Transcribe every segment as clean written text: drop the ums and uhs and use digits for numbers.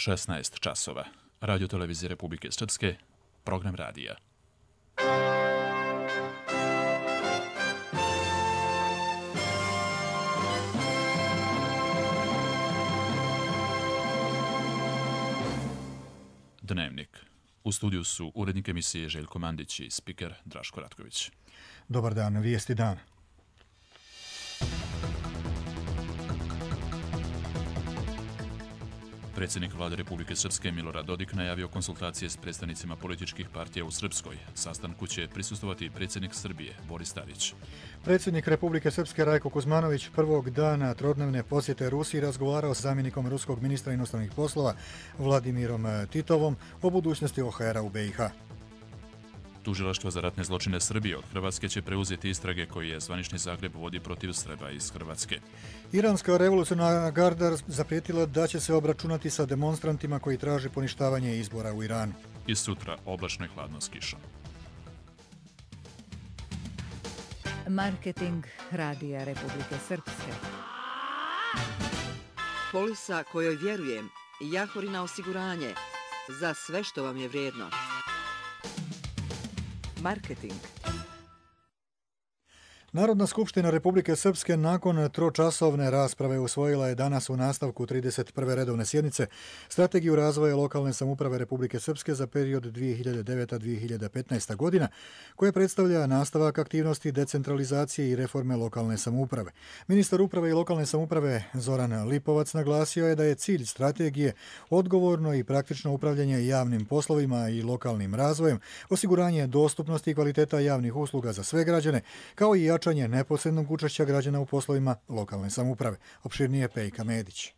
16 časova. Radio televizije Republike Srpske, program radija. Dnevnik. U studiju su urednik emisije Željko Mandić i spiker Draško Ratković. Dobar dan, vijesti dan. Predsjednik vlade Republike Srpske Milorad Dodik najavio konsultacije s predstavnicima političkih partija u Srpskoj. Sastanku će prisustvovati predsjednik Srbije Boris Tadić. Predsjednik Republike Srpske Rajko Kuzmanović prvog dana trodnevne posjete Rusiji razgovarao s zamjenikom ruskog ministra inostranih poslova Vladimirom Titovom o budućnosti OHR-a u BiH. Tužilaštvo za ratne zločine Srbije od Hrvatske će preuzeti istrage koje je zvanični Zagreb vodi protiv Srba iz Hrvatske. Iranska revolucionarna garda zaprijetila da će se obračunati sa demonstrantima koji traže poništavanje izbora u Iranu. I sutra oblačno i hladno s kišom. Marketing Radija Republike Srpske. Polisa kojoj vjerujem, Jahorina osiguranje, za sve što vam je vrijedno. Marketing. Narodna skupština Republike Srpske nakon tročasovne rasprave usvojila je danas u nastavku 31. redovne sjednice Strategiju razvoja lokalne samouprave Republike Srpske za period 2009-2015. godina, koja predstavlja nastavak aktivnosti decentralizacije i reforme lokalne samouprave. Ministar uprave i lokalne samouprave Zoran Lipovac naglasio je da je cilj strategije odgovorno i praktično upravljanje javnim poslovima i lokalnim razvojem, osiguranje dostupnosti i kvaliteta javnih usluga za sve građane, kao i jačanje neposrednog učešća građana u poslovima lokalne samouprave. Opširnije Pejka Medić.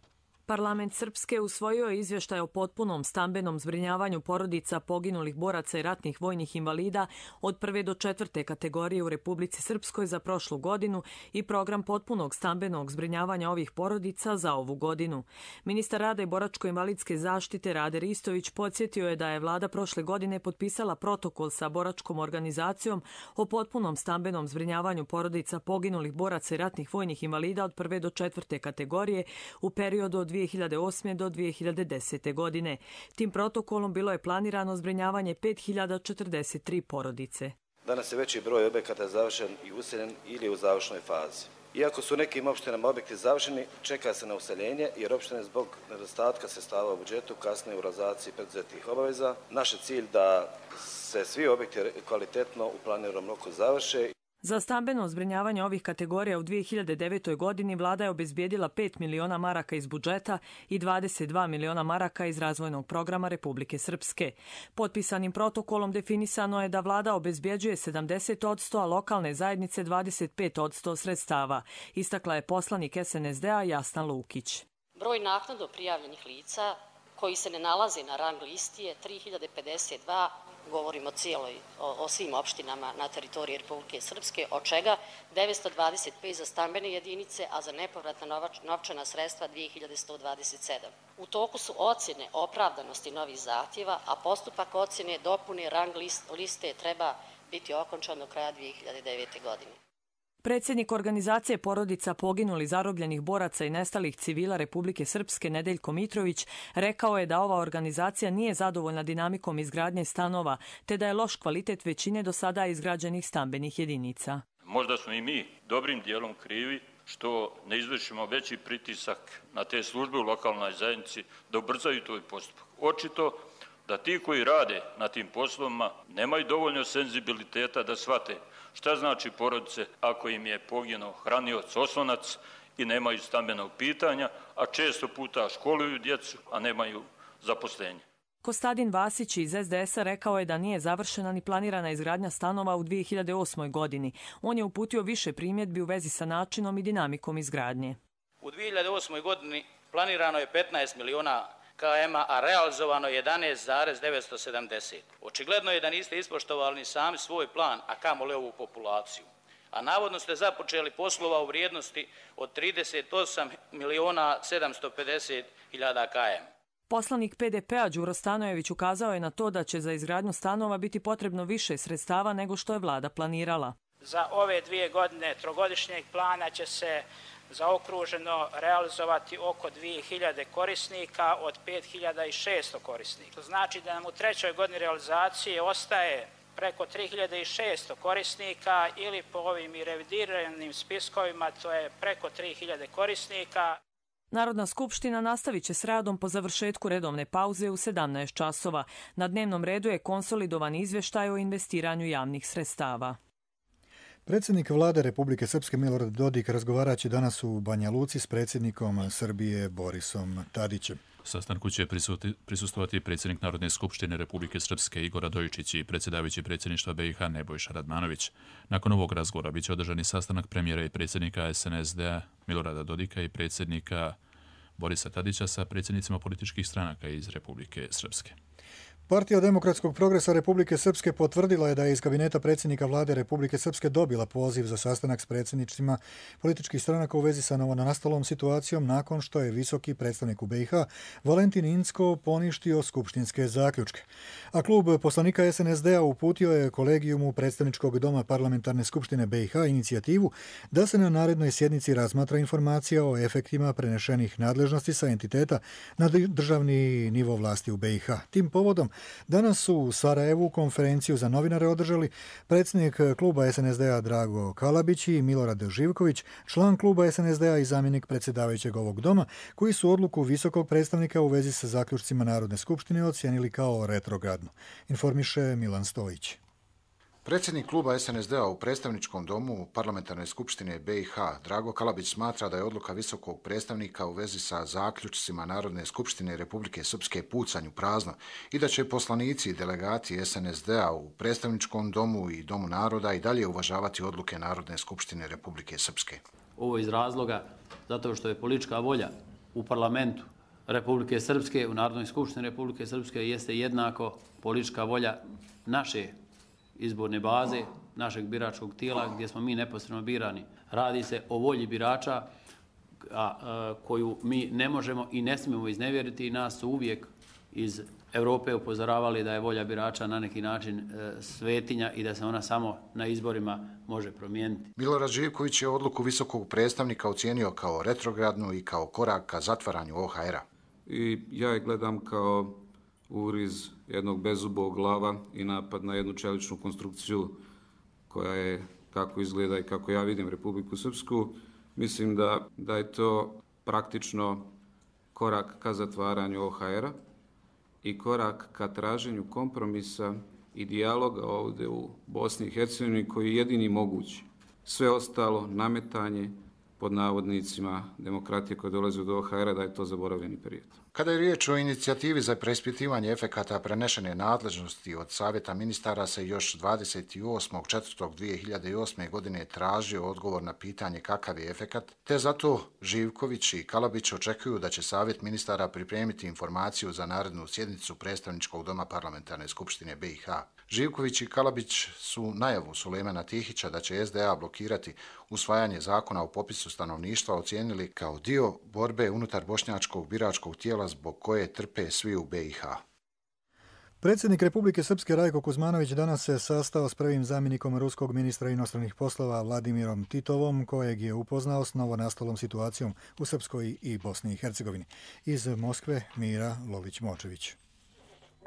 Parlament Srpske usvojio je izvještaj o potpunom stambenom zbrinjavanju porodica poginulih boraca i ratnih vojnih invalida od 1. do 4. kategorije u Republici Srpskoj za prošlu godinu i program potpunog stambenog zbrinjavanja ovih porodica za ovu godinu. Ministar rada i boračko-invalidske zaštite Rade Ristović podsjetio je da je vlada prošle godine potpisala protokol sa boračkom organizacijom o potpunom stambenom zbrinjavanju porodica poginulih boraca i ratnih vojnih invalida od 1. do 4. kategorije u periodu od 2008. do 2010. godine. Tim protokolom bilo je planirano zbrinjavanje 5043 porodice. Danas je veći broj objekata završen i useljen ili u završnoj fazi. Iako su nekim opštinama objekti završeni, čeka se na useljenje jer opštine zbog nedostatka sredstava u budžetu kasne u realizaciji preduzetih obaveza. Naš je cilj da se svi objekti kvalitetno u planiranom roku završe. Za stambeno zbrinjavanje ovih kategorija u 2009. godini vlada je obezbijedila 5 miliona maraka iz budžeta i 22 miliona maraka iz razvojnog programa Republike Srpske. Potpisanim protokolom definisano je da vlada obezbjeđuje 70%, a lokalne zajednice 25% sredstava, istakla je poslanik SNSD-a Jasna Lukić. Broj naknadno prijavljenih lica koji se ne nalaze na rang listi je 3052, govorimo o svim opštinama na teritoriji Republike Srpske, od čega 925 za stambene jedinice, a za nepovratna novčana sredstva 2127. U toku su ocjene opravdanosti novih zahtjeva, a postupak ocjene dopune rang liste treba biti okončan do kraja 2009. godine. Predsjednik organizacije porodica poginulih zarobljenih boraca i nestalih civila Republike Srpske Nedeljko Mitrović rekao je da ova organizacija nije zadovoljna dinamikom izgradnje stanova, te da je loš kvalitet većine do sada izgrađenih stambenih jedinica. Možda smo i mi dobrim dijelom krivi što ne izvršimo veći pritisak na te službe u lokalnoj zajednici da ubrzaju taj postupak. Očito da ti koji rade na tim poslovima nemaju dovoljno senzibiliteta da shvate šta znači porodice ako im je poginuo hranioc, oslonac i nemaju stambenog pitanja, a često puta školuju djecu, a nemaju zaposlenje. Kostadin Vasić iz SDS-a rekao je da nije završena ni planirana izgradnja stanova u 2008. godini. On je uputio više primjedbi u vezi sa načinom i dinamikom izgradnje. U 2008. godini planirano je 15 miliona km-a, a realizovano 11,970. Očigledno je da niste ispoštovali ni sami svoj plan, a kamoli ovu populaciju. A navodno ste započeli poslova u vrijednosti od 38 miliona 750 hiljada km. Poslanik PDP-a Đuro Stanojević ukazao je na to da će za izgradnju stanova biti potrebno više sredstava nego što je vlada planirala. Za ove 2 godine trogodišnjeg plana će se zaokruženo realizovati oko 2000 korisnika od 5600 korisnika. To znači da nam u trećoj godini realizacije ostaje preko 3600 korisnika ili po ovim i revidiranim spiskovima to je preko 3000 korisnika. Narodna skupština nastavit će s radom po završetku redovne pauze u 17 časova. Na dnevnom redu je konsolidovan izvještaj o investiranju javnih sredstava. Predsjednik vlade Republike Srpske Milorad Dodik razgovarat će danas u Banja Luci s predsjednikom Srbije Borisom Tadićem. Sastanku će prisustvovati predsjednik Narodne skupštine Republike Srpske Igor Radojičić i predsjedavajući predsjedništva BiH Nebojša Radmanović. Nakon ovog razgovora biće održani sastanak premijera i predsjednika SNSD-a Milorada Dodika i predsjednika Borisa Tadića sa predsjednicima političkih stranaka iz Republike Srpske. Partija demokratskog progresa Republike Srpske potvrdila je da je iz kabineta predsjednika vlade Republike Srpske dobila poziv za sastanak s predsjednicima političkih stranaka u vezi sa novonastalom situacijom nakon što je visoki predstavnik u BiH Valentin Incko poništio skupštinske zaključke. A klub poslanika SNSD-a uputio je kolegijumu predstavničkog doma parlamentarne skupštine BiH inicijativu da se na narednoj sjednici razmatra informacija o efektima prenešenih nadležnosti sa entiteta na državni nivo vlasti u BiH. Tim povodom danas su u Sarajevu konferenciju za novinare održali predsjednik kluba SNSD-a Drago Kalabić i Milorad Živković, član kluba SNSD-a i zamjenik predsjedavajućeg ovog doma, koji su odluku visokog predstavnika u vezi sa zaključcima Narodne skupštine ocijenili kao retrogradnu. Informiše Milan Stojić. Predsjednik kluba SNSD-a u predstavničkom domu parlamentarne skupštine BiH Drago Kalabić smatra da je odluka visokog predstavnika u vezi sa zaključcima Narodne skupštine Republike Srpske pucanj u prazno i da će poslanici i delegati SNSD-a u predstavničkom domu i domu naroda i dalje uvažavati odluke Narodne skupštine Republike Srpske. Ovo iz razloga zato što je politička volja u parlamentu Republike Srpske, u Narodnoj skupštini Republike Srpske jeste jednako politička volja naše izborne baze, našeg biračkog tijela gdje smo mi neposredno birani. Radi se o volji birača koju mi ne možemo i ne smijemo iznevjeriti i nas su uvijek iz Europe upozoravali da je volja birača na neki način svetinja i da se ona samo na izborima može promijeniti. Milorad Živković je odluku visokog predstavnika ocijenio kao retrogradnu i kao korak ka zatvaranju OHR-a. I ja je gledam kao uriz jednog bezubog glava i napad na jednu čeličnu konstrukciju koja je, kako izgleda i kako ja vidim Republiku Srpsku. Mislim da je to praktično korak ka zatvaranju OHR-a i korak ka traženju kompromisa i dijaloga ovdje u Bosni i Hercegovini koji je jedini mogući. Sve ostalo, nametanje pod navodnicima demokratije koje dolaze do OHR-a, da je to zaboravljeni period. Kada je riječ o inicijativi za preispitivanje efekata prenešene nadležnosti od Savjeta ministara se još 28.4.2008. godine tražio odgovor na pitanje kakav je efekat, te zato Živković i Kalabić očekuju da će Savjet ministara pripremiti informaciju za narednu sjednicu predstavničkog doma parlamentarne skupštine BiH. Živković i Kalabić su najavu Sulejmana Tihića da će SDA blokirati usvajanje zakona o popisu stanovništva ocijenili kao dio borbe unutar bošnjačkog biračkog tijela zbog koje trpe svi u BiH. Predsjednik Republike Srpske Rajko Kuzmanović danas se sastao s prvim zamjenikom ruskog ministra inostranih poslova Vladimirom Titovom, kojeg je upoznao s novonastalom situacijom u Srpskoj i Bosni i Hercegovini. Iz Moskve Mira Lović-Močević.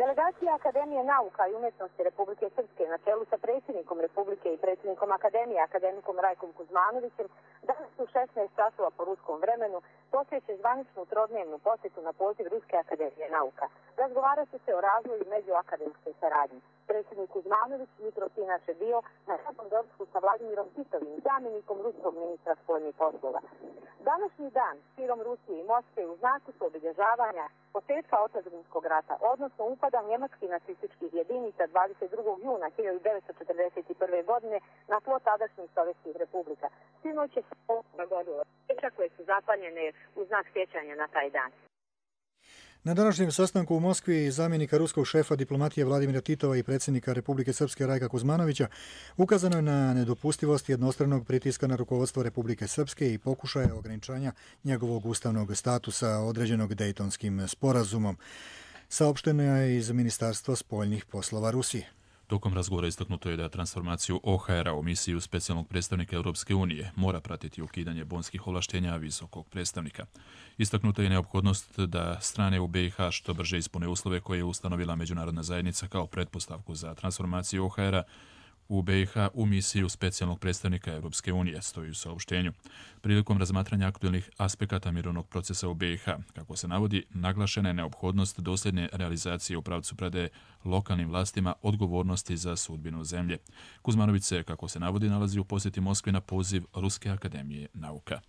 Delegacija Akademije nauka i umjetnosti Republike Srpske na čelu sa predsjednikom Republike i predsjednikom Akademije, akademikom Rajkom Kuzmanovićem, danas u 16 časova po ruskom vremenu posjeće zvaničnu trodnevnu posjetu na poziv Ruske akademije nauka. Razgovarat će se o razvoju međuakademske saradnje. Predsjednik Kuzmanović jutros inače bio na radnom doručku sa Vladimirom Titovim, zamjenikom ruskog ministra spoljnih poslova. Današnji dan širom Rusije i Moskve u znaku su obilježavanja početka otadžbinskog rata, odnosno upada njemačkih nacističkih jedinica 22. juna 1941. godine na tlo tadašnjih sovjetskih republika. Sinoć je dogodilo koje su zapaljene u znak sjećanja na taj dan. Na današnjem sastanku u Moskvi zamjenika ruskog šefa diplomatije Vladimira Titova i predsjednika Republike Srpske Rajka Kuzmanovića ukazano je na nedopustivost jednostranog pritiska na rukovodstvo Republike Srpske i pokušaje ograničanja njegovog ustavnog statusa određenog Dejtonskim sporazumom. Saopšteno je iz Ministarstva spoljnih poslova Rusije. Tokom razgovora istaknuto je da transformaciju OHR-a u misiju specijalnog predstavnika Europske unije mora pratiti ukidanje bonskih ovlaštenja visokog predstavnika. Istaknuta je neophodnost da strane u BiH što brže ispune uslove koje je ustanovila međunarodna zajednica kao pretpostavku za transformaciju OHR-a u BiH u misiju specijalnog predstavnika Europske unije, stoji u saopštenju. Prilikom razmatranja aktualnih aspekata mirovnog procesa u BiH, kako se navodi, naglašena je neophodnost dosljedne realizacije u pravcu predaje lokalnim vlastima odgovornosti za sudbinu zemlje. Kuzmanović se, kako se navodi, nalazi u posjeti Moskvi na poziv Ruske akademije nauka.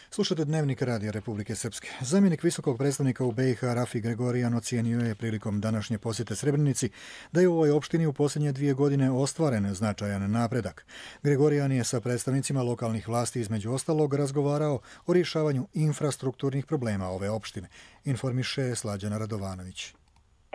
Slušate Dnevnik Radija Republike Srpske. Zamjenik visokog predstavnika u BiH Rafi Gregorijan ocijenio je prilikom današnje posjete Srebrenici da je u ovoj opštini u posljednje 2 godine ostvaren značajan napredak. Gregorijan je sa predstavnicima lokalnih vlasti između ostalog razgovarao o rješavanju infrastrukturnih problema ove opštine, informiše Slađana Radovanović.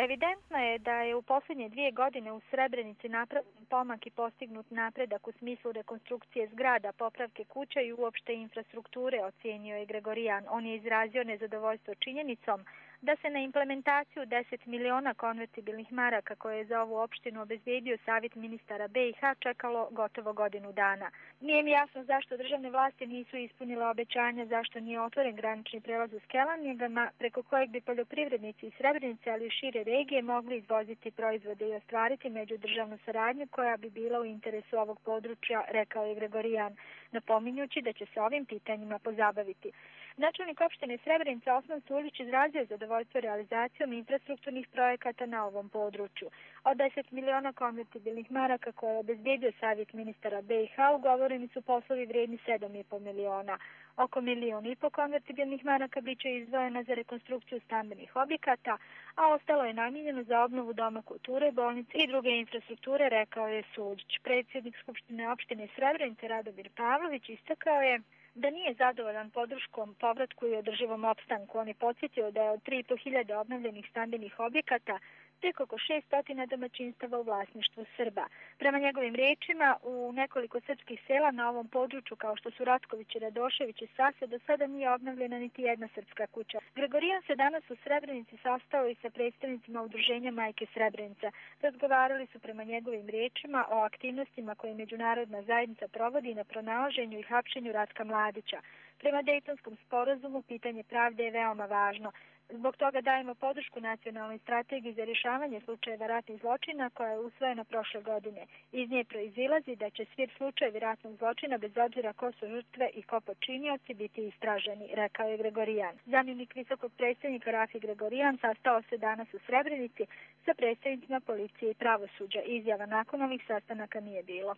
Evidentno je da je u posljednje 2 godine u Srebrenici napravljen pomak i postignut napredak u smislu rekonstrukcije zgrada, popravke kuća i uopšte infrastrukture, ocijenio je Gregorijan. On je izrazio nezadovoljstvo činjenicom da se na implementaciju 10 miliona konvertibilnih maraka koje je za ovu opštinu obezbedio Savjet ministara BiH čekalo gotovo godinu dana. Nije mi jasno zašto državne vlasti nisu ispunile obećanja, zašto nije otvoren granični prelaz u Skelanjegama, preko kojeg bi poljoprivrednici iz Srebrenice, ali i šire regije mogli izvoziti proizvode i ostvariti međudržavnu saradnju koja bi bila u interesu ovog područja, rekao je Gregorijan, napominjući da će se ovim pitanjima pozabaviti. Načelnik opštine Srebrenica Osman Sulić izrazio zadovoljstvo realizacijom infrastrukturnih projekata na ovom području. Od 10 miliona konvertibilnih maraka koje je obezbedio Savjet ministara BiH ugovoreni su poslovi vrijedni 7,5 miliona. Oko 1,5 miliona konvertibilnih maraka biće izdvojena za rekonstrukciju stambenih objekata, a ostalo je namijenjeno za obnovu Doma kulture, bolnice i druge infrastrukture, rekao je Sulić. Predsjednik Skupštine opštine Srebrenice Radomir Pavlović istakao je da nije zadovoljan podrškom povratku i održivom opstanku. On je podsjetio da je od 3.500 obnovljenih stambenih objekata tek oko 600 domaćinstava u vlasništvu Srba. Prema njegovim rečima, u nekoliko srpskih sela na ovom području, kao što su Ratković i Radošević i Sase, do sada nije obnovljena niti jedna srpska kuća. Gregorijan se danas u Srebrenici sastao i sa predstavnicima udruženja Majke Srebrenica. Razgovarali su prema njegovim rečima o aktivnostima koje međunarodna zajednica provodi na pronalaženju i hapšenju Ratka Mladića. Prema Dejtonskom sporazumu pitanje pravde je veoma važno. Zbog toga dajemo podršku nacionalnoj strategiji za rješavanje slučajeva ratnih zločina koja je usvojena prošle godine. Iz nje proizilazi da će svi slučajevi ratnog zločina bez obzira ko su žrtve i ko počinioci biti istraženi, rekao je Gregorijan. Zamjenik visokog predstavnika Rafi Gregorijan sastao se danas u Srebrenici sa predstavnicima policije i pravosuđa. Izjava nakon ovih sastanaka nije bilo.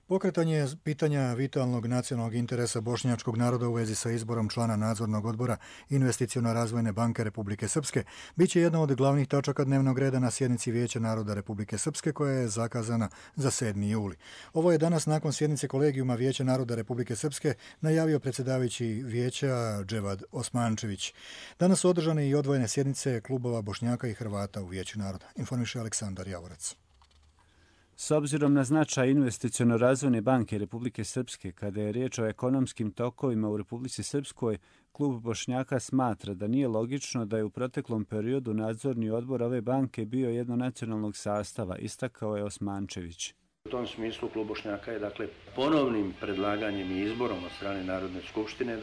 Pokretanje pitanja vitalnog nacionalnog interesa bošnjačkog naroda u vezi sa izborom člana nadzornog odbora Investiciono-razvojne banke Republike Srpske biće jedna od glavnih tačaka dnevnog reda na sjednici Vijeća naroda Republike Srpske koja je zakazana za 7. juli. Ovo je danas nakon sjednice kolegijuma Vijeća naroda Republike Srpske najavio predsjedavajući Vijeća Dževad Osmančević. Danas su održane i odvojene sjednice klubova Bošnjaka i Hrvata u Vijeću naroda, informiše Aleksandar Javorac. S obzirom na značaj Investiciono-razvojne banke Republike Srpske, kada je riječ o ekonomskim tokovima u Republici Srpskoj, klub Bošnjaka smatra da nije logično da je u proteklom periodu nadzorni odbor ove banke bio jednonacionalnog sastava, istakao je Osmančević. U tom smislu klub Bošnjaka je ponovnim predlaganjem i izborom od strane Narodne skupštine,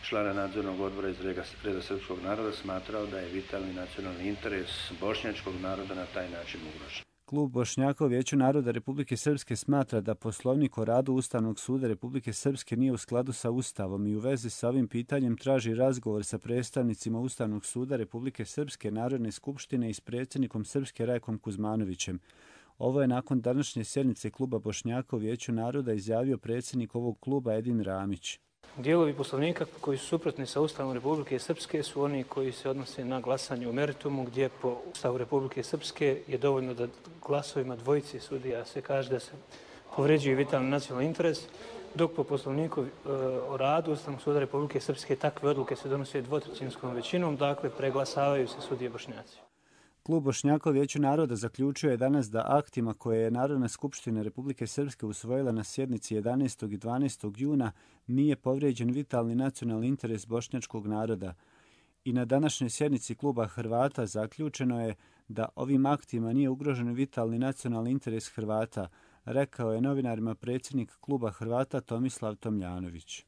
člana nadzornog odbora iz reda srpskog naroda smatrao da je vitalni nacionalni interes bošnjačkog naroda na taj način ugrožen. Klub Bošnjaka u Vijeću naroda Republike Srpske smatra da Poslovnik o radu Ustavnog suda Republike Srpske nije u skladu sa Ustavom i u vezi sa ovim pitanjem traži razgovor sa predstavnicima Ustavnog suda Republike Srpske, Narodne skupštine i s predsjednikom Srpske Rajkom Kuzmanovićem. Ovo je nakon današnje sjednice kluba Bošnjaka u Vijeću naroda izjavio predsjednik ovog kluba Edin Ramić. Dijelovi Poslovnika koji su suprotni sa Ustavom Republike Srpske su oni koji se odnose na glasanje u meritumu, gdje po Ustavu Republike Srpske je dovoljno da glasovima dvojice sudija se kaže da se povređuje vitalni nacionalni interes, dok po Poslovniku o radu Ustavnog suda Republike Srpske takve odluke se donose dvotrećinskom većinom, preglasavaju se sudije Bošnjaci. Klub Bošnjaka u Vijeću naroda zaključio je danas da aktima koje je Narodna skupština Republike Srpske usvojila na sjednici 11. i 12. juna nije povrijeđen vitalni nacionalni interes bošnjačkog naroda I na današnjoj sjednici kluba Hrvata zaključeno je da ovim aktima nije ugrožen vitalni nacionalni interes Hrvata, rekao je novinarima predsjednik kluba Hrvata Tomislav Tomljanović.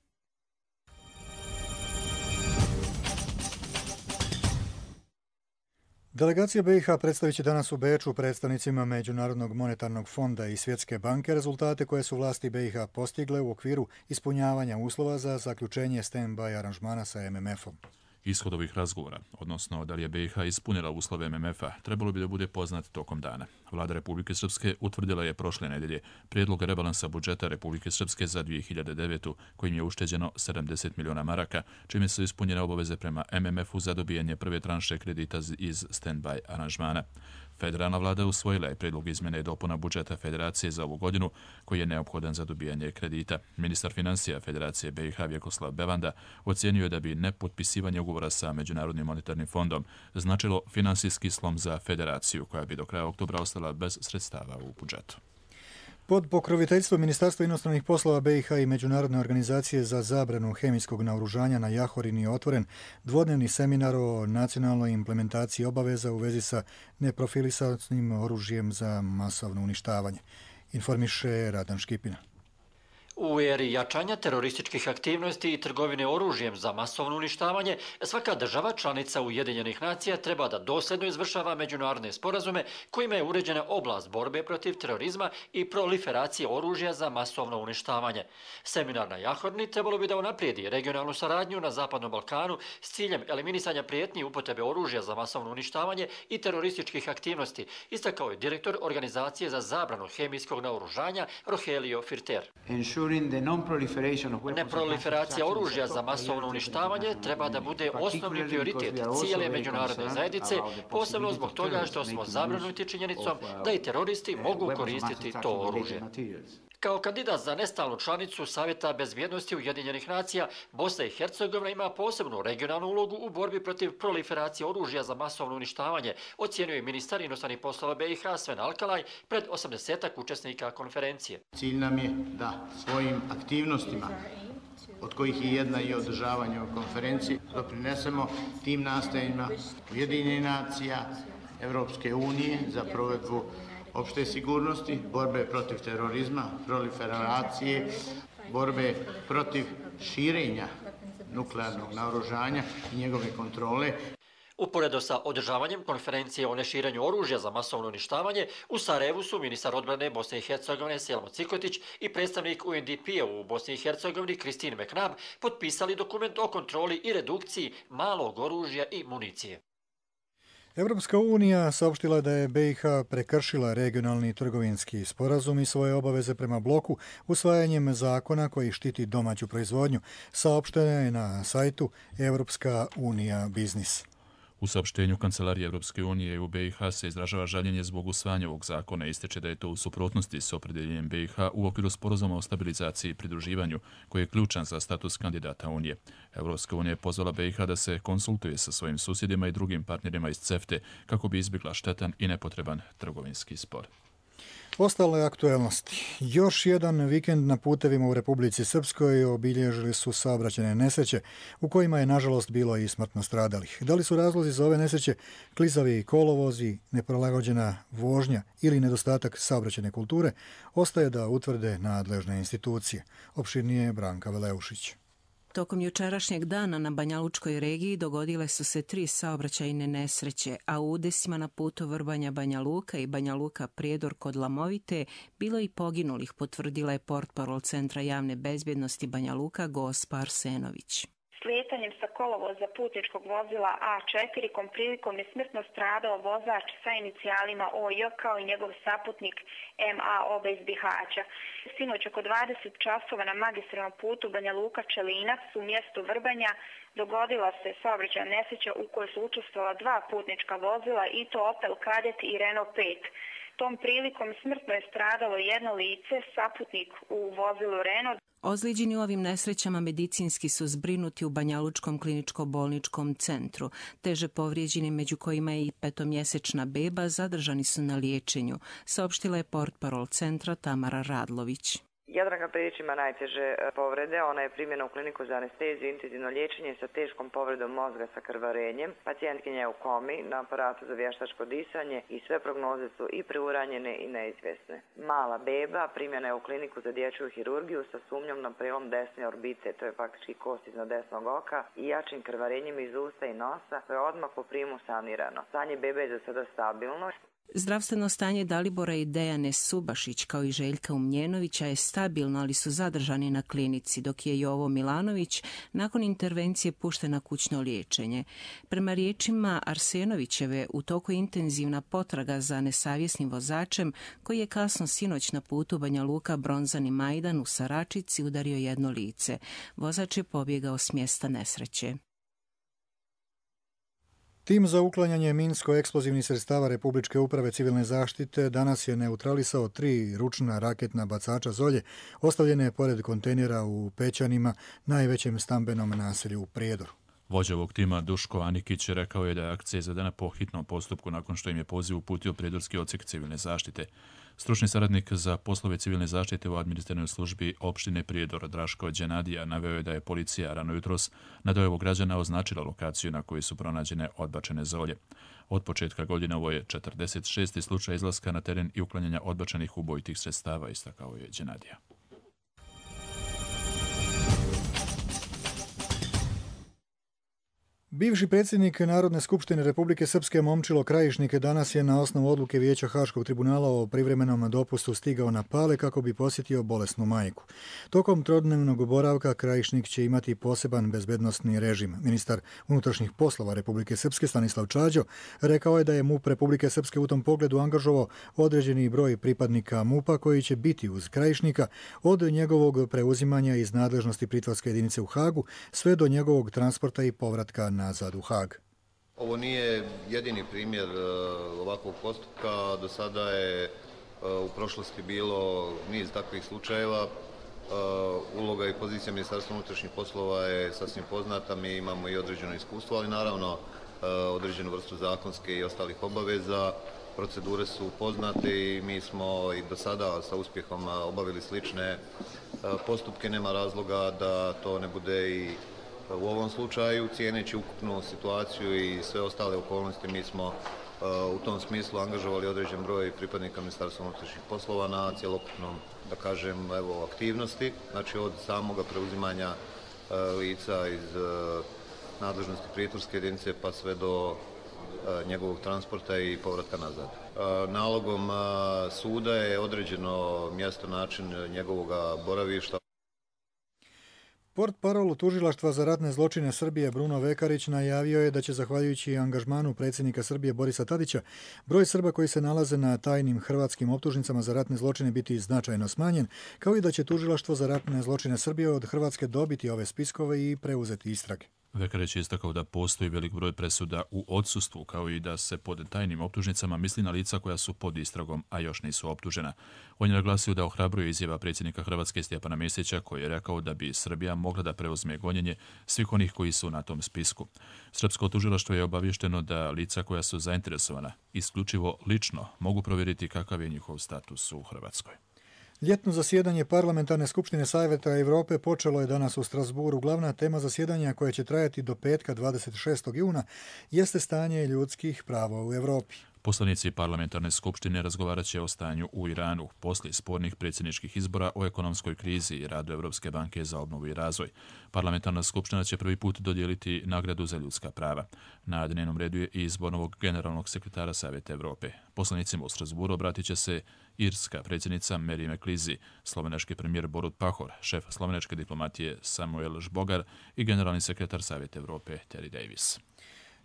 Delegacija BiH predstavit će danas u Beču predstavnicima Međunarodnog monetarnog fonda i Svjetske banke rezultate koje su vlasti BiH postigle u okviru ispunjavanja uslova za zaključenje stand-by aranžmana sa MMF-om. Ishod ovih razgovora, odnosno da li je BiH ispunila uslove MMF-a, trebalo bi da bude poznat tokom dana. Vlada Republike Srpske utvrdila je prošle nedelje prijedlog rebalansa budžeta Republike Srpske za 2009. kojim je ušteđeno 70 miliona maraka, čime su ispunjene obaveze prema MMF-u za dobijanje prve tranše kredita iz stand-by aranžmana. Federalna vlada usvojila je prijedlog izmjene i dopuna budžeta Federacije za ovu godinu, koji je neophodan za dobijanje kredita. Ministar financija Federacije BiH Vjekoslav Bevanda ocijenio je da bi nepotpisivanje ugovora sa Međunarodnim monetarnim fondom značilo finansijski slom za Federaciju, koja bi do kraja oktobra ostala bez sredstava u budžetu. Pod pokroviteljstvom Ministarstva inostranih poslova BiH i Međunarodne organizacije za zabranu hemijskog naoružanja na Jahorini je otvoren dvodnevni seminar o nacionalnoj implementaciji obaveza u vezi sa neprofilisanim oružjem za masovno uništavanje. Informiše Radan Škipina. U eri jačanja terorističkih aktivnosti i trgovine oružjem za masovno uništavanje, svaka država članica Ujedinjenih nacija treba da dosljedno izvršava međunarodne sporazume kojima je uređena oblast borbe protiv terorizma i proliferacije oružja za masovno uništavanje. Seminar na Jahorni trebalo bi da unaprijedi regionalnu saradnju na Zapadnom Balkanu s ciljem eliminisanja prijetnji upotrebe oružja za masovno uništavanje i terorističkih aktivnosti, istakao je direktor Organizacije za zabranu hemijskog naoružanja Rogelio Firter. Neproliferacija oružja za masovno uništavanje treba da bude osnovni prioritet cijele međunarodne zajednice, posebno zbog toga što smo zabrinuti činjenicom da i teroristi mogu koristiti to oružje. Kao kandidat za nestalnu članicu Savjeta bezbjednosti Ujedinjenih nacija, Bosna i Hercegovina ima posebnu regionalnu ulogu u borbi protiv proliferacije oružja za masovno uništavanje, ocijenio je ministar inostranih poslova BiH Sven Alkalaj pred 80-ak učesnika konferencije. Cilj nam je da svojim aktivnostima, od kojih je jedna i održavanje u konferenciji, doprinesemo tim nastojanjima Ujedinjenih nacija, Evropske unije za provedbu opšte sigurnosti, borbe protiv terorizma, proliferacije, borbe protiv širenja nuklearnog naoružanja i njegove kontrole. Uporedo sa održavanjem konferencije o neširenju oružja za masovno uništavanje, u Sarajevu su ministar odbrane Bosne i Hercegovine Selmo Cikotić i predstavnik UNDP-a u Bosni i Hercegovini Christine McNabb potpisali dokument o kontroli i redukciji malog oružja i municije. Evropska unija saopštila je da je BiH prekršila regionalni trgovinski sporazum i svoje obaveze prema bloku usvajanjem zakona koji štiti domaću proizvodnju, saopšteno je na sajtu Evropska unija biznis. U saopštenju Kancelarije Evropske unije u BiH se izražava žaljenje zbog usvajanja ovog zakona i ističe da je to u suprotnosti s opredjeljenjem BiH u okviru sporazuma o stabilizaciji i pridruživanju, koji je ključan za status kandidata Unije. Evropska unija je pozvala BiH da se konsultuje sa svojim susjedima i drugim partnerima iz CEFTA kako bi izbjegla štetan i nepotreban trgovinski spor. Ostale aktuelnosti. Još jedan vikend na putevima u Republici Srpskoj obilježili su saobraćajne nesreće u kojima je nažalost bilo i smrtno stradalih. Da li su razlozi za ove nesreće klizavi kolovozi, neprilagođena vožnja ili nedostatak saobraćajne kulture, ostaje da utvrde nadležne institucije. Opširnije Branka Veleušić. Tokom jučerašnjeg dana na Banjalučkoj regiji dogodile su se 3 saobraćajne nesreće, a u udesima na putu Vrbanja Banja Luka i Banja Luka Prijedor kod Lamovite bilo i poginulih, potvrdila je portparol Centra javne bezbjednosti Banja Luka Gospa Arsenović. Slijetanjem sa kolovoza putničkog vozila A4 kom prilikom je smrtno stradao vozač sa inicijalima OJ kao i njegov saputnik MA oba iz Bihaća. Sinoć oko 20 časova na magistralnom putu Banja Luka Čelinac u mjestu Vrbanja dogodila se saobraćajna nesreća u kojoj su učestvovala 2 putnička vozila i to Opel Kadett i Renault 5. Tom prilikom smrtno je stradalo jedno lice, saputnik u vozilu Renault. Ozlijeđeni u ovim nesrećama medicinski su zbrinuti u Banjalučkom kliničko-bolničkom centru. Teže povrijeđeni, među kojima je i 5-mjesečna beba, zadržani su na liječenju, saopštila je portparol centra Tamara Radlović. Jadranka Predić ima najteže povrede, ona je primljena u kliniku za anesteziju i intenzivno liječenje sa teškom povredom mozga sa krvarenjem. Pacijentkinja je u komi na aparatu za vještačko disanje i sve prognoze su i preuranjene i neizvjesne. Mala beba primljena je u kliniku za dječju hirurgiju sa sumnjom na prelom desne orbite, to je faktički kost iznad desnog oka, i jačim krvarenjem iz usta i nosa, koje je odmah po primu sanirano. Stanje bebe je za sada stabilno. Zdravstveno stanje Dalibora i Dejane Subašić kao i Željka Umljenovića je stabilno, ali su zadržani na klinici, dok je Jovo Milanović nakon intervencije pušten na kućno liječenje. Prema riječima Arsenovićeve, u toku je intenzivna potraga za nesavjesnim vozačem koji je kasno sinoć na putu Banja Luka Bronzani Majdan u Saračici udario jedno lice. Vozač je pobjegao s mjesta nesreće. Tim za uklanjanje minsko-eksplozivnih sredstava Republičke uprave civilne zaštite danas je neutralisao 3 ručna raketna bacača zolje ostavljene pored kontejnera u Pećanima, najvećem stambenom naselju u Prijedoru. Vođa ovog tima Duško Anikić rekao je da je akcija izvedena po hitnom postupku nakon što im je poziv uputio Prijedorski odsjek civilne zaštite. Stručni saradnik za poslove civilne zaštite u administrativnoj službi opštine Prijedor Draško Đenadija naveo je da je policija rano jutros na dojavu građana označila lokaciju na kojoj su pronađene odbačene zolje. Od početka godine ovo je 46. slučaj izlaska na teren i uklanjanja odbačenih ubojitih sredstava, istakao je Đenadija. Bivši predsjednik Narodne skupštine Republike Srpske Momčilo Krajišnik danas je na osnovu odluke Vijeća Haškog tribunala o privremenom dopustu stigao na Pale kako bi posjetio bolesnu majku. Tokom trodnevnog boravka Krajišnik će imati poseban bezbednosni režim. Ministar unutrašnjih poslova Republike Srpske Stanislav Čađo rekao je da je MUP Republike Srpske u tom pogledu angažovao određeni broj pripadnika MUP-a koji će biti uz Krajišnika od njegovog preuzimanja iz nadležnosti pritvorske jedinice u Hagu sve do njegovog transporta i povratka nazad u Hag. Ovo nije jedini primjer ovakvog postupka. Do sada je u prošlosti bilo niz takvih slučajeva. Uloga i pozicija Ministarstva unutrašnjih poslova je sasvim poznata. Mi imamo i određeno iskustvo, ali naravno određenu vrstu zakonske i ostalih obaveza. Procedure su poznate i mi smo i do sada sa uspjehom obavili slične postupke. Nema razloga da to ne bude i u ovom slučaju. Cijeneći ukupnu situaciju i sve ostale okolnosti, mi smo u tom smislu angažovali određen broj pripadnika Ministarstva unutrašnjih poslova na cjelokupnom, da kažem, aktivnosti, znači od samoga preuzimanja lica iz nadležnosti pritvorske jedinice pa sve do njegovog transporta i povratka nazad. Nalogom suda je određeno mjesto, način njegovog boravišta. Portparol Tužilaštva za ratne zločine Srbije Bruno Vekarić najavio je da će, zahvaljujući angažmanu predsjednika Srbije Borisa Tadića, broj Srba koji se nalaze na tajnim hrvatskim optužnicama za ratne zločine biti značajno smanjen, kao i da će Tužilaštvo za ratne zločine Srbije od Hrvatske dobiti ove spiskove i preuzeti istrage. Vekarić je istakao da postoji velik broj presuda u odsustvu, kao i da se pod tajnim optužnicama misli na lica koja su pod istragom, a još nisu optužena. On je naglasio da ohrabruje izjava predsjednika Hrvatske Stjepana Mesića, koji je rekao da bi Srbija mogla da preuzme gonjenje svih onih koji su na tom spisku. Srpsko tužilaštvo je obavješteno da lica koja su zainteresovana isključivo lično mogu provjeriti kakav je njihov status u Hrvatskoj. Ljetno zasjedanje Parlamentarne skupštine Savjeta Evrope počelo je danas u Strasburu. Glavna tema zasjedanja, koje će trajati do petka 26. juna, jeste stanje ljudskih prava u Evropi. Poslanici Parlamentarne skupštine razgovarat će o stanju u Iranu poslije spornih predsjedničkih izbora, o ekonomskoj krizi i radu Evropske banke za obnovu i razvoj. Parlamentarna skupština će prvi put dodijeliti nagradu za ljudska prava. Na dnevnom redu je i izbor novog generalnog sekretara Savjeta Evrope. Poslanicima u Strasburu obratit će se irska predsjednica Mary McLeese, slovenački premijer Borut Pahor, šef slovenačke diplomatije Samuel Žbogar i generalni sekretar Savjeta Evrope Terry Davis.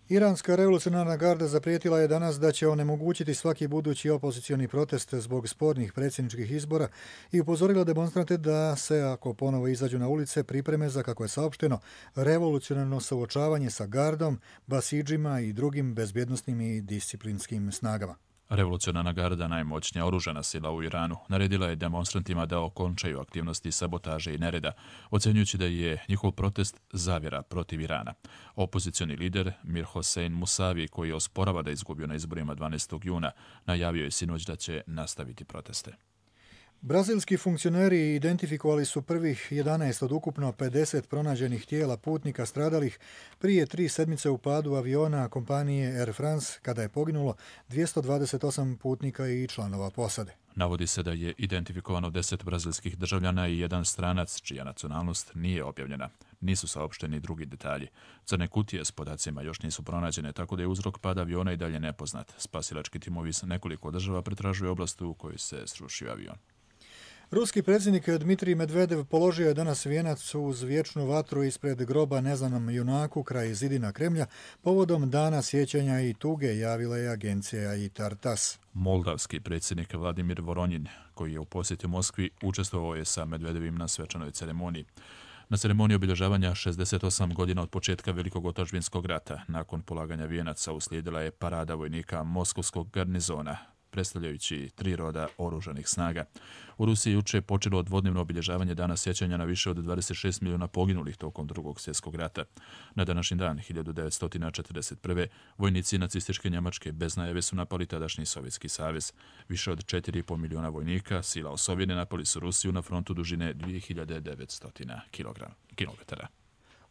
Iranska revolucionarna garda zaprijetila je danas da će onemogućiti svaki budući opozicioni protest zbog spornih predsjedničkih izbora i upozorila demonstrante da se, ako ponovo izađu na ulice, pripreme za, kako je saopšteno, revolucionarno suočavanje sa gardom, basidžima i drugim bezbjednosnim i disciplinskim snagama. Revolucionarna garda, najmoćnija oružana sila u Iranu, naredila je demonstrantima da okončaju aktivnosti sabotaže i nereda, ocenjujući da je njihov protest zavjera protiv Irana. Opozicioni lider Mir Hossein Musavi, koji osporava da je izgubio na izborima 12. juna, najavio je sinoć da će nastaviti proteste. Brazilski funkcioneri identifikovali su prvih 11 od ukupno 50 pronađenih tijela putnika stradalih prije 3 sedmice u padu aviona kompanije Air France, kada je poginulo 228 putnika i članova posade. Navodi se da je identifikovano 10 brazilskih državljana i jedan stranac, čija nacionalnost nije objavljena. Nisu saopšteni drugi detalji. Crne kutije s podacima još nisu pronađene, tako da je uzrok pada aviona i dalje nepoznat. Spasilački timovi s nekoliko država pretražuju oblast u kojoj se srušio avion. Ruski predsjednik Dmitrij Medvedev položio je danas vijenac uz vječnu vatru ispred groba neznanom junaku kraj zidina Kremlja povodom dana sjećanja i tuge, javila je agencija ITAR-TASS. Moldavski predsjednik Vladimir Voronjin, koji je u posjeti Moskvi, učestvovao je sa Medvedevim na svečanoj ceremoniji. Na ceremoniji obilježavanja 68 godina od početka Velikog otačbinskog rata, nakon polaganja vijenaca, uslijedila je parada vojnika Moskovskog garnizona, predstavljajući 3 roda oružanih snaga. U Rusiji juče počelo dvodnevno obilježavanje dana sjećanja na više od 26 milijuna poginulih tokom Drugog svjetskog rata. Na današnji dan, 1941. vojnici nacističke Njemačke bez najave su napali tadašnji Sovjetski savez. Više od 4,5 milijuna vojnika sila osovine napali su Rusiju na frontu dužine 2900 kilometara.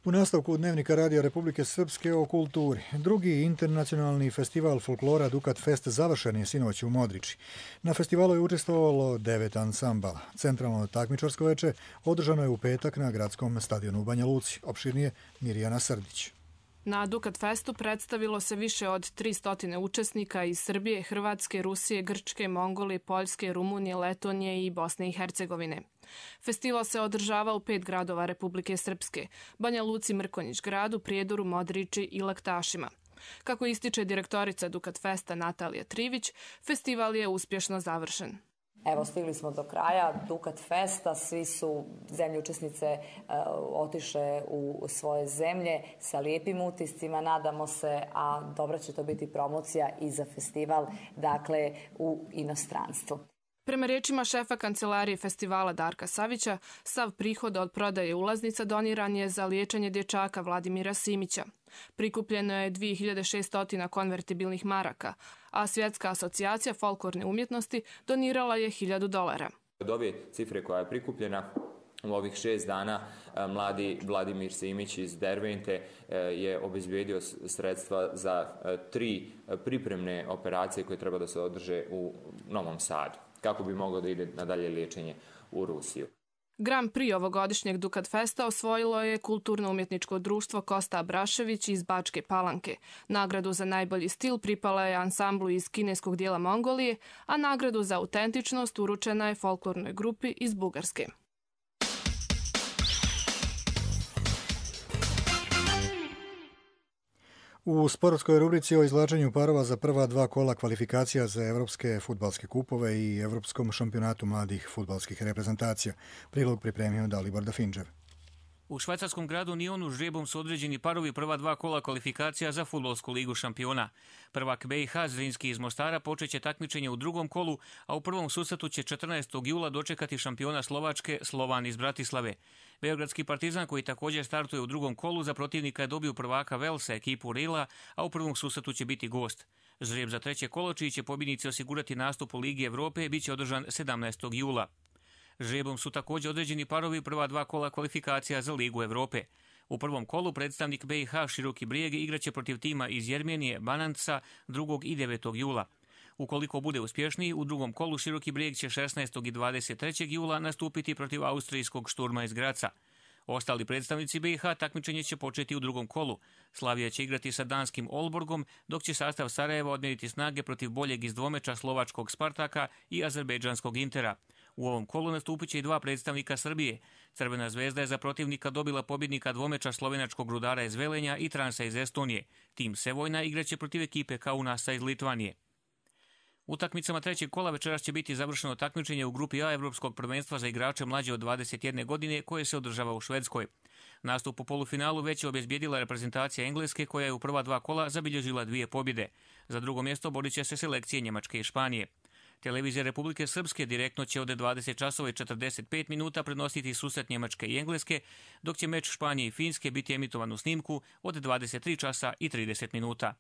U nastavku Dnevnika Radija Republike Srpske o kulturi. Drugi internacionalni festival folklora Dukat Fest završen je sinoć u Modriči. Na festivalu je učestvovalo 9 ansambala. Centralno takmičarsko veče održano je u petak na gradskom stadionu u Banja Luci. Opširnije Mirjana Srdić. Na Dukat Festu predstavilo se više od 300 učesnika iz Srbije, Hrvatske, Rusije, Grčke, Mongolije, Poljske, Rumunije, Letonije i Bosne i Hercegovine. Festival se održava u 5 gradova Republike Srpske: Banja Luci, Mrkonjić Gradu, Prijedoru, Modriči i Laktašima. Kako ističe direktorica Dukat Festa Natalija Trivić, festival je uspješno završen. Evo, stigli smo do kraja Dukat Festa, svi su zemlje učesnice otišle u svoje zemlje sa lijepim utiscima, nadamo se, a dobra će to biti promocija i za festival, dakle, u inostranstvu. Prema rečima šefa kancelarije festivala Darka Savića, sav prihod od prodaje ulaznica doniran je za liječenje dječaka Vladimira Simića. Prikupljeno je 2600 konvertibilnih maraka, a Svjetska asocijacija folklorne umjetnosti donirala je $1000. Od ove cifre koja je prikupljena u ovih 6 dana, mladi Vladimir Simić iz Dervente je obezbijedio sredstva za 3 pripremne operacije koje treba da se održe u Novom Sadu, kako bi moglo da ide na dalje liječenje u Rusiju. Grand Prix ovogodišnjeg Dukat Festa osvojilo je kulturno-umjetničko društvo Kosta Abrašević iz Bačke Palanke. Nagradu za najbolji stil pripala je ansamblu iz kineskog dijela Mongolije, a nagradu za autentičnost uručena je folklornoj grupi iz Bugarske. U sportskoj rubrici o izvlačenju parova za prva 2 kola kvalifikacija za evropske fudbalske kupove i evropskom šampionatu mladih fudbalskih reprezentacija. Prilog pripremio Dalibor Dafinđev. U švajcarskom gradu Nionu žrebom su određeni parovi prva 2 kola kvalifikacija za fudbalsku ligu šampiona. Prvak BiH Zrinski iz Mostara počeće takmičenje u drugom kolu, a u prvom susretu će 14. jula dočekati šampiona Slovačke Slovan iz Bratislave. Beogradski Partizan, koji također startuje u drugom kolu, za protivnika je dobio prvaka Velsa, ekipu Rila, a u prvom susretu će biti gost. Žreb za treće kolo, čiji će pobjednici osigurati nastup u Ligi Evrope, bit će održan 17. jula. Žrebom su također određeni parovi prva 2 kola kvalifikacija za Ligu Evrope. U prvom kolu predstavnik BiH Široki Brijeg igraće protiv tima iz Jermenije Bananca 2. i 9. jula. Ukoliko bude uspješniji, u drugom kolu Široki Brijeg će 16. i 23. jula nastupiti protiv austrijskog Šturma iz Graca. Ostali predstavnici BiH takmičenje će početi u drugom kolu. Slavija će igrati sa danskim Olborgom, dok će sastav Sarajeva odmjeriti snage protiv boljeg iz dvomeča slovačkog Spartaka i azerbejdžanskog Intera. U ovom kolu nastupit će i 2 predstavnika Srbije. Crvena zvezda je za protivnika dobila pobjednika dvomeča slovenačkog Rudara iz Velenja i Transa iz Estonije. Tim Sevojna igraće protiv ekipe Kaunasa iz Litvanije. Utakmicama trećeg kola večeras će biti završeno takmičenje u grupi A Evropskog prvenstva za igrače mlađe od 21 godine koje se održava u Švedskoj. Nastup u polufinalu već je obezbijedila reprezentacija Engleske, koja je u prva 2 kola zabilježila 2 pobjede. Za drugo mjesto borit će se selekcije Njemačke i Španije. Televizija Republike Srpske direktno će od 20 časova i 45 minuta prenositi susret Njemačke i Engleske, dok će meč Španije i Finske biti emitovan u snimku od 23 časa i 30 minuta.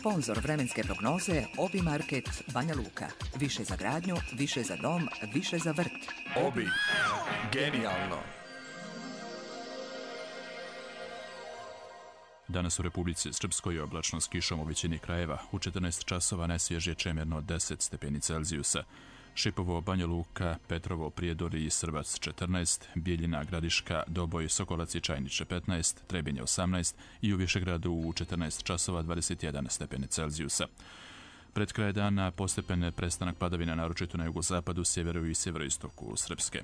Sponzor vremenske prognoze Obi Market Banja Luka. Više za gradnju, više za dom, više za vrt. Obi. Genijalno. Danas u Republici Srpskoj je oblačno s kišom u većini krajeva. U 14 časova najsvježije čemerno 10 stepeni Celzijusa. Šipovo, Banja Luka, Petrovo, Prijedori i Srbac 14, Bijeljina, Gradiška, Doboj, Sokolac i Čajniče 15, Trebinje 18 i u Višegradu u 14 časova 21 stepeni Celzijusa. Pred kraj dana postepen prestanak padavina naročito na jugozapadu, sjeveru i sjeveroistoku Srpske.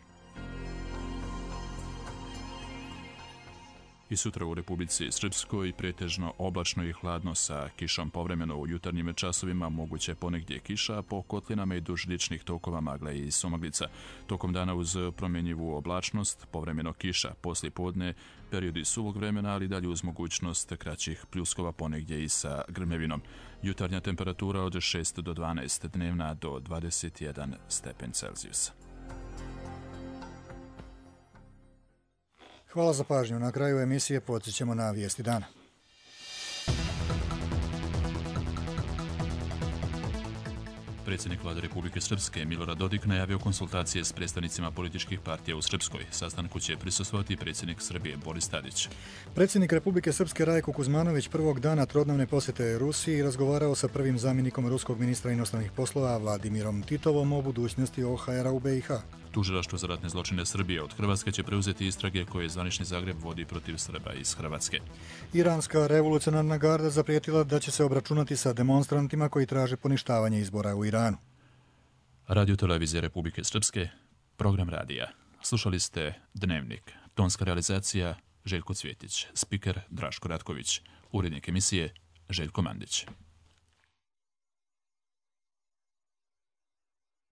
I sutra u Republici Srpskoj pretežno oblačno i hladno sa kišom, povremeno u jutarnjim časovima moguće ponegdje kiša, po kotlinama i duž riječnih tokova magle i sumaglica. Tokom dana uz promjenjivu oblačnost, povremeno kiša, poslije podne periodi suvog vremena, ali dalje uz mogućnost kraćih pljuskova ponegdje i sa grmevinom. Jutarnja temperatura od 6 do 12, dnevna do 21 stepen Celzijusa. Hvala za pažnju. Na kraju emisije podsjećamo na vijesti dana. Predsjednik Vlade Republike Srpske Milorad Dodik najavio konsultacije s predstavnicima političkih partija u Srpskoj. Sastanku će prisustvovati predsjednik Srbije Boris Tadić. Predsjednik Republike Srpske Rajko Kuzmanović prvog dana trodnevne posjete Rusiji razgovarao sa prvim zamjenikom ruskog ministra inostranih poslova Vladimirom Titovom o budućnosti OHR-a u BiH. Tužilaštvo za ratne zločine Srbije od Hrvatske će preuzeti istrage koje zvanični Zagreb vodi protiv Srba iz Hrvatske. Iranska revolucionarna garda zaprijetila da će se obračunati sa demonstrantima koji traže poništavanje izbora u Iranu. Radio Televizije Republike Srpske, program radija. Slušali ste Dnevnik. Tonska realizacija Željko Cvjetić, spiker Draško Ratković, urednik emisije Željko Mandić.